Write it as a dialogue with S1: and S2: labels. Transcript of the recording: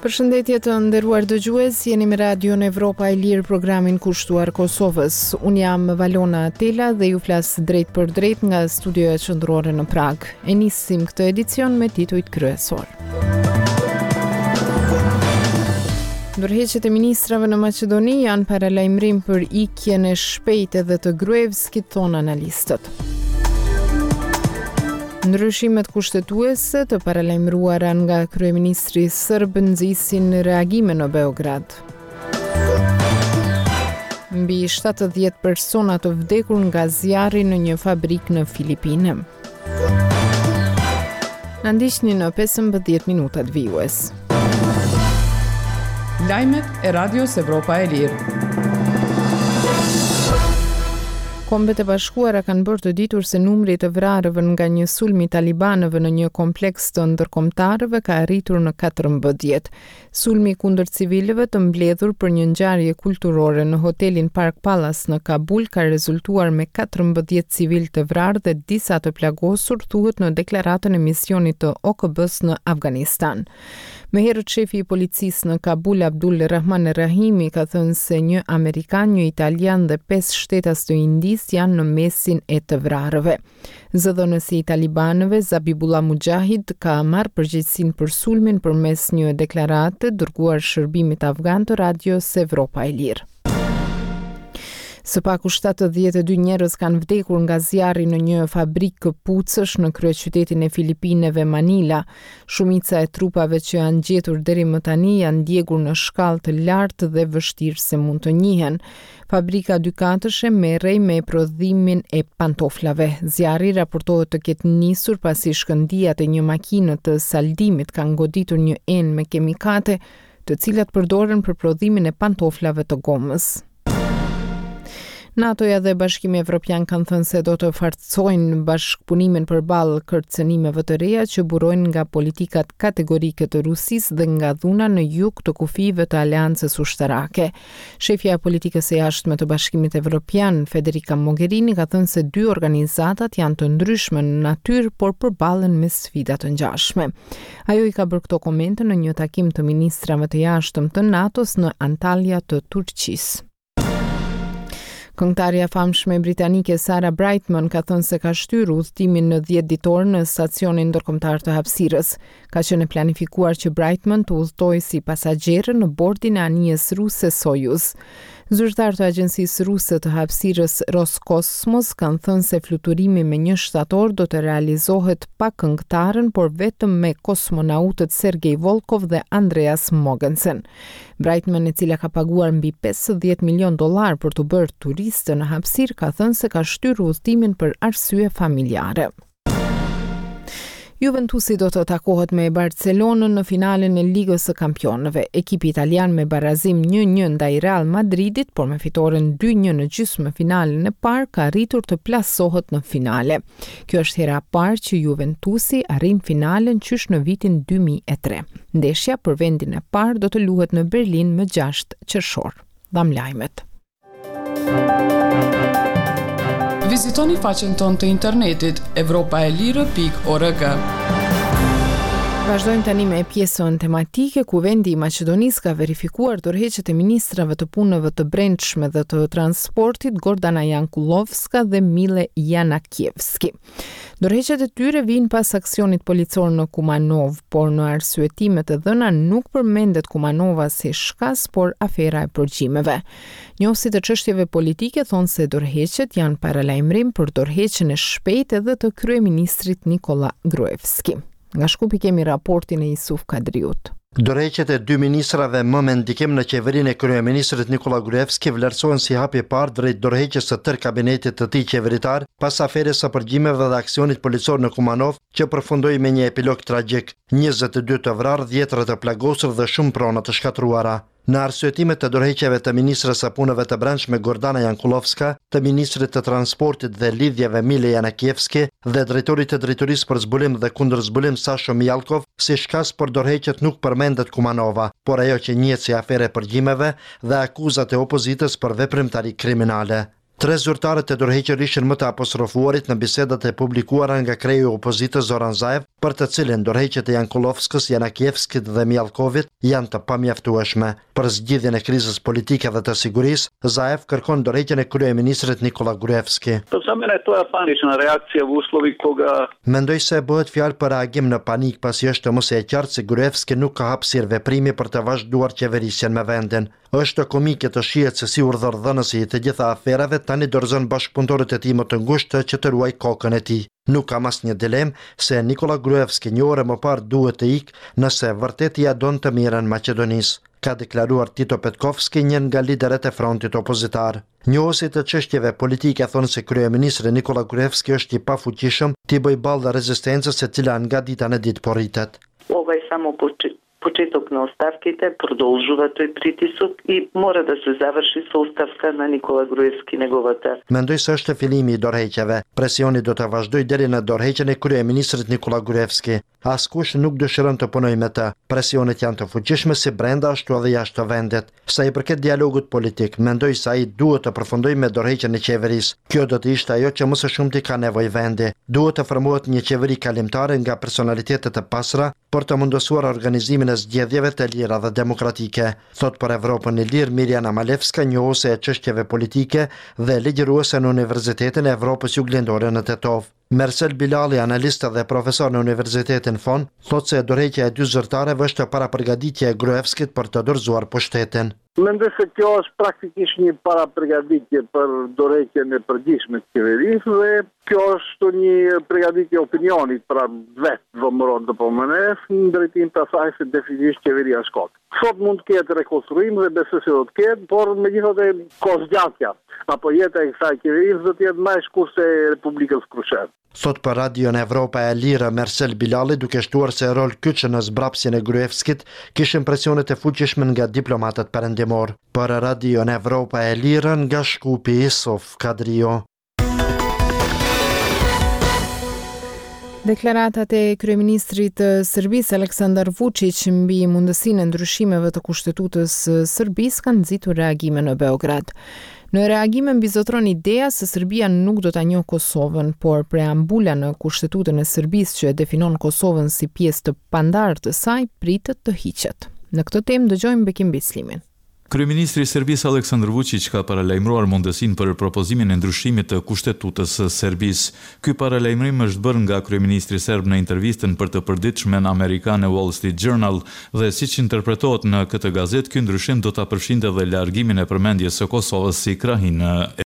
S1: Përshëndetje të nderuar dëgjues, jeni me Radion Evropa e Lirë programin kushtuar Kosovës. Unë jam Valona Tela dhe ju flas drejtpërdrejt nga studioja qendrore në Pragë. E nisim këtë edicion me titujt kryesorë. Dorëheqjet e ministrave në Maqedoni janë paralajmërim për ikjen e shpejtë edhe të Gruevskit, thonë analistët. Ndryshimet kushtetuese të paralajmëruara nga kryeministri sërb nxisin reagime në Beograd. Mbi 70 persona të vdekur nga zjarri në një fabrikë në Filipine. Na ndiqni në 15 minutat vijues.
S2: Lajmet e Radios Evropa e Lirë.
S1: Kombet e Bashkuara kanë bërë të ditur se numri i të vrarëve nga një sulm i talibanëve në një kompleks të ndërkombëtarëve ka arritur në 14. Sulmi kundër civilëve të mbledhur për një ngjarje kulturore në hotelin Park Palace në Kabul ka rezultuar me 14 civilë të vrarë dhe disa të plagosur, thuhet në deklaratën e misionit të OKB-së në Afganistan. Më herët shefi i policisë në Kabul, Abdul Rahman Rahimi, ka thënë se një amerikan, një italian dhe pesë shtetas të Indisë janë në mesin e të vrarëve. Zëdhënësi i talibanëve, Zabihullah Mujahid, ka marrë përgjegjësinë për sulmin përmes një deklarate dërguar shërbimit afgan të Radios Evropa e Lirë. Së paku 72 njerëz kanë vdekur nga zjarri në një fabrikë këpucësh në kryeqytetin e Filipineve, Manila. Shumica e trupave që janë gjetur deri më tani janë djegur në shkallë të lartë dhe vështirë se mund të njihen. Fabrika dykatëshe merrej me prodhimin e pantoflave. Zjarri raportohet të ketë nisur pasi shkëndijat e një makine të saldimit kanë goditur një enë me kimikate, të cilat përdoren për prodhimin e pantoflave të gomës. NATO-ja dhe Bashkimi Evropian kanë thënë se do të forcojnë bashkëpunimin përballë kërcënimeve të reja që burojnë nga politikat kategorike të Rusisë dhe nga dhuna në jug të kufijve të aleancës ushtarake. Shefja e politikës së jashtme të Bashkimit Evropian, Federica Mogherini, ka thënë se dy organizatat janë të ndryshme në natyrë, por përballen me sfida të ngjashme. Ajo i ka bërë këto komente në një takim të ministrave të jashtëm të NATO-s në Antalya të Turqisë. Këngëtarja e famshme britanike Sarah Brightman ka thënë se ka shtyrë udhëtimin në 10 ditor në stacionin ndërkombëtar të hapësirës. Ka qenë e planifikuar që Brightman të udhëtojë si pasagjere në bordin e anijes ruse Soyuz. Zyrtarë të agjencisë ruse të hapësirës Roscosmos kanë thënë se fluturimi më një shtator do të realizohet pa këngëtaren, por vetëm me kosmonautët Sergei Volkov dhe Andreas Mogensen. Brightman, e cila ka paguar mbi 50 milionë dollarë për t'u bërë turiste në hapësirë, ka thënë se ka shtyrë udhëtimin për arsye familjare. Juventusi do të takohet me Barcelonën në finalen e Ligës së Kampionëve. Ekipi italian me barazim 1-1 ndaj Real Madridit, por me fitoren 2-1 në gjysmëfinalen e parë, ka arritur të plasohet në finale. Kjo është hera e parë që Juventusi arrin finalen qysh në vitin 2003. Ndeshja për vendin e parë do të luhet në Berlin më 6 qershor. Dhamë lajmet.
S2: Vizitoni faqen tonë të internetit evropaelire.org.
S1: Vazhdojmë tani me pjesën tematike. Kuvendi i Maqedonisë ka verifikuar dorëheqjet e ministrave të Punëve të Brendshme dhe të Transportit Gordana Jankullovska dhe Mile Janakievski. Dorëheqjet e tyre vijnë pas aksionit policor në Kumanovë, por në arsyetimet e dhëna nuk përmendet Kumanova si shkas, por afera e përgjimeve. Njohësit e çështjeve politike thonë se dorëheqjet janë paralajmërim për dorëheqjen e shpejtë edhe të kryeministrit Nikolla Gruevski. Nga Shkupi kemi raportin e Isuf Kadriut.
S3: Dorëheqjet e dy ministrave më me ndikim në qeverinë e kryeministrit Nikolla Gruevski vlerësohen si hapi i parë drejt dorëheqjes së tërë kabinetit të tij qeveritar pas aferës së përgjimeve dhe aksionit policor në Kumanovë që përfundoi me një epilog tragjik, 22 të vrarë, dhjetëra të plagosur dhe shumë prona të shkatërruara. Në arsyetimet e dorëheqjeve të ministres së Punëve të Brendshme Gordana Jankullovska, të ministrit të Transportit dhe Lidhjeve Mile Janakievski dhe drejtorit të Drejtorisë për Zbulim dhe Kundërzbulim Sasho Mijallkov, si shkas për dorëheqjet nuk përmendet Kumanova, por ajo që njihet si aferë e përgjimeve dhe akuzat e opozitës për veprimtari kriminale. Tre zyrtarët e dorëhequr ishin më të apostrofuarit në bisedat e publikuara nga kreu i opozitës Zoran Zaev, për të cilin dorëheqjet e Jankullovskës, Janakievskit dhe Mijallkovit janë të pamjaftueshme. Për zgjidhjen e krizës politike dhe të sigurisë, Zaev kërkon dorëheqjen e kryeministrit Nikolla Gruevski.
S4: Pa za mene to je panična reakcija v uslovi koga
S3: Mendoj se bëhet fjalë për reagim në panik pasi është më se e qartë se Gruevski nuk ka hapësirë veprimi për të vazhduar qeverisjen me vendin. Është komike të shihet se si urdhërdhënësi i të gjitha aferave tani dorëzon bashkëpunëtorët e tij më të ngushtë që të ruajë kokën e tij. Nuk kam asnjë dilemë se Nikolla Gruevski një orë e më parë duhet të ikë nëse vërtet ia don të mirën Maqedonisë, ka deklaruar Tito Petkovski, një nga liderët e frontit opozitar. Njohësit e çështjeve politike thonë se kryeministri Nikolla Gruevski është i pafuqishëm t'i bëjë ballë rezistencës e cila nga dita në ditë po rritet.
S5: Ова е само почеток на оставките, продолжува тој притисок и мора да се заврши со оставка на Никола Груевски неговата.
S3: Mendoj se është fillimi i dorëheqjeve. Presioni do të vazhdojë deri në dorëheqjen e kryeministrit Nikolla Gruevski. Askush nuk dëshiron të punojë me të. Presionet janë të fuqishme si brenda ashtu edhe jashtë vendit. Sa i përket dialogut politik, mendoj se ai duhet të përfundojë me dorëheqjen e qeverisë. Kjo do të ishte ajo që më së shumti ka nevojë vendi. Duhet të formohet një qeveri kalimtare nga personalitete të pastra për të mundësuar organizimin e zgjedhjeve të lira dhe demokratike, thotë për Evropën e Lirë Mirjana Malevska, njohëse e çështjeve politike dhe ligjëruese në Universitetin e Evropës Juglindore në Tetovë. Mersel Bilalli, analist dhe profesor në Universitetin FON, thotë se dorëheqja e dy zyrtarëve është parapërgatitje e Gruevskit për të dorëzuar pushtetin.
S6: Mendoj se kjo është praktikisht një parapërgatitje për dorëheqjen e përgjithshme të qeverisë dhe kjo është një përgatitje e opinionit, pra vetë VMRO-DPMNE-së në drejtim të asaj se definitivisht qeveria shkon. Sot mund të ketë rekonstruim dhe besoj se do të ketë, por megjithatë kohëzgjatja apo jeta e kësaj qeverisë do të jetë më e shkurtër se e Republikës së Krushevës.
S3: Thotë për Radion Evropa e Lirë Mersel Bilalli duke shtuar se rol kyç në zbrapsjen e Gruevskit kishin presionet e fuqishme nga diplomatët perëndimorë. Për Radion Evropa e Lirë nga Shkupi Isuf Kadriu.
S1: Deklaratat e kryeministrit të Serbisë Aleksandar Vuçiq mbi mundësinë e ndryshimeve të kushtetutës së Serbisë kanë nxitur reagime në Beograd. Në reagime mbizotëron ideja se Serbia nuk do ta njohë Kosovën, por preambula në Kushtetutën e Serbisë që e definon Kosovën si pjesë të pandarë të saj pritet të hiqet. Në këtë temë dëgjojmë Bekim Bislimin.
S7: Kryeministri i Serbisë Aleksandar Vuçiq ka paralajmëruar mundësinë për propozimin e ndryshimit të Kushtetutës së Serbisë. Ky paralajmërim është bërë nga kryeministri serb në intervistën për të përditshmen amerikane Wall Street Journal dhe siç interpretohet në këtë gazetë, ky ndryshim do ta përfshinte dhe largimin e përmendjes së Kosovës si krahinë e.